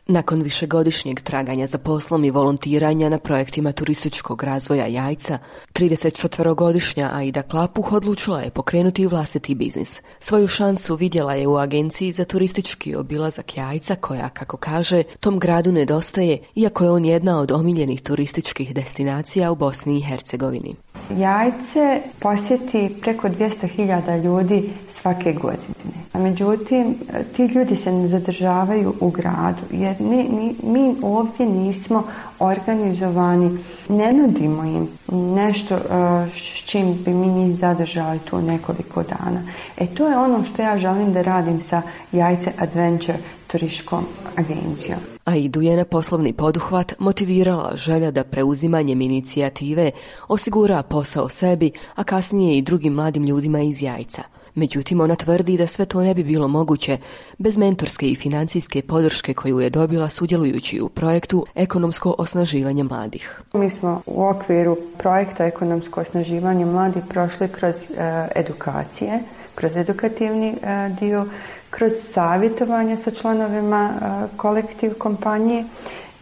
Nakon višegodišnjeg traganja za poslom i volontiranja na projektima turističkog razvoja Jajca, 34-godišnja Aida Klapuh odlučila je pokrenuti vlastiti biznis. Svoju šansu vidjela je u agenciji za turistički obilazak Jajca koja, kako kaže, tom gradu nedostaje, iako je on jedna od omiljenih turističkih destinacija u Bosni i Hercegovini. Jajce posjeti preko 200.000 ljudi svake godine. A međutim, ti ljudi se ne zadržavaju u gradu, jer mi ovdje nismo organizovani, ne nudimo im nešto s čim bi mi njih zadržali tu nekoliko dana. To je ono što ja želim da radim sa Jajce Adventure turističkom agencijom. Aidu je na poslovni poduhvat motivirala želja da preuzimanjem inicijative osigura posao sebi, a kasnije i drugim mladim ljudima iz Jajca. Međutim, ona tvrdi da sve to ne bi bilo moguće bez mentorske i financijske podrške koju je dobila sudjelujući u projektu Ekonomsko osnaživanje mladih. Mi smo u okviru projekta Ekonomsko osnaživanje mladih prošli kroz edukacije, kroz edukativni dio, kroz savjetovanje sa članovima kolektiv kompanije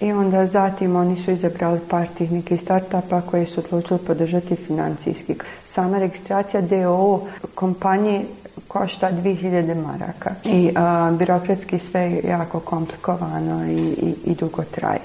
i onda zatim oni su izabrali par tih nekih startupa koje su odlučili podržati financijski. Sama registracija DOO kompanije košta 2000 maraka i birokratski sve je jako komplikovano i dugo traje.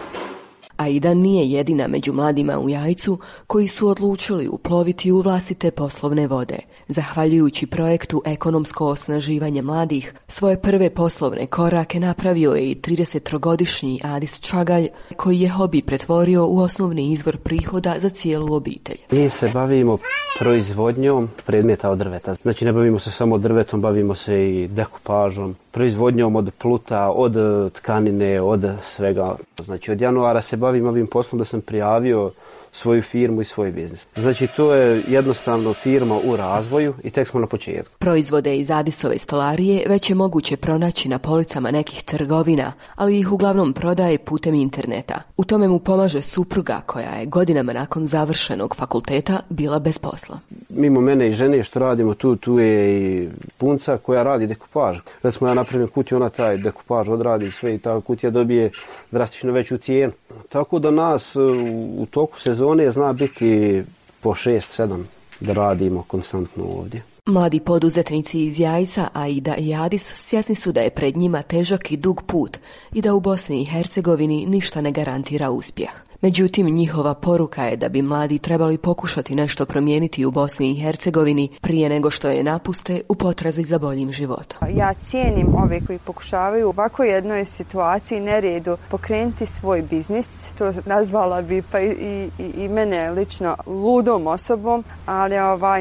Aida nije jedina među mladima u Jajcu koji su odlučili uploviti u vlastite poslovne vode. Zahvaljujući projektu Ekonomsko osnaživanje mladih, svoje prve poslovne korake napravio je i 30-godišnji Adis Čagalj, koji je hobi pretvorio u osnovni izvor prihoda za cijelu obitelj. Mi se bavimo proizvodnjom predmeta od drveta. Znači ne bavimo se samo drvetom, bavimo se i dekupažom, proizvodnjom od pluta, od tkanine, od svega. Znači od januara se bavim ovim poslom da sam prijavio svoju firmu i svoj biznis. Znači to je jednostavno firma u razvoju i tek smo na početku. Proizvode iz Adisove stolarije već je moguće pronaći na policama nekih trgovina, ali ih uglavnom prodaje putem interneta. U tome mu pomaže supruga koja je godinama nakon završenog fakulteta bila bez posla. Mimo mene i žene što radimo tu je i punca koja radi dekupaž. Recimo ja napravim kutiju, ona taj dekupaž odradi sve i ta kutija dobije drastično veću cijenu. Tako da nas u toku sezone zna biti po 6-7 da radimo konstantno ovdje. Mladi poduzetnici iz Jajca, Aida i Adis, svjesni su da je pred njima težak i dug put i da u Bosni i Hercegovini ništa ne garantira uspjeh. Međutim, njihova poruka je da bi mladi trebali pokušati nešto promijeniti u Bosni i Hercegovini prije nego što je napuste u potrazi za boljim životom. Ja cijenim ove koji pokušavaju u ovako jednoj situaciji neredu pokrenuti svoj biznis. To nazvala bi pa i mene lično ludom osobom, ali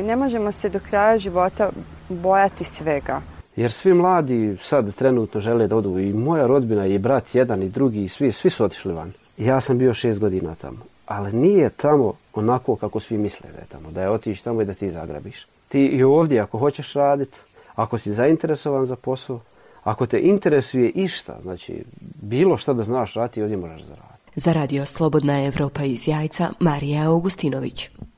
ne možemo se do kraja života bojati svega. Jer svi mladi sad trenutno žele da odu, i moja rodbina i brat jedan i drugi i svi su otišli van. Ja sam bio 6 godina tamo, ali nije tamo onako kako svi misle da je tamo, da je otići tamo i da ti zagrabiš. Ti i ovdje ako hoćeš raditi, ako si zainteresovan za posao, ako te interesuje išta, znači bilo šta da znaš raditi, ovdje možeš zaraditi. Za Radio Slobodna Evropa iz Jajca, Marija Augustinović.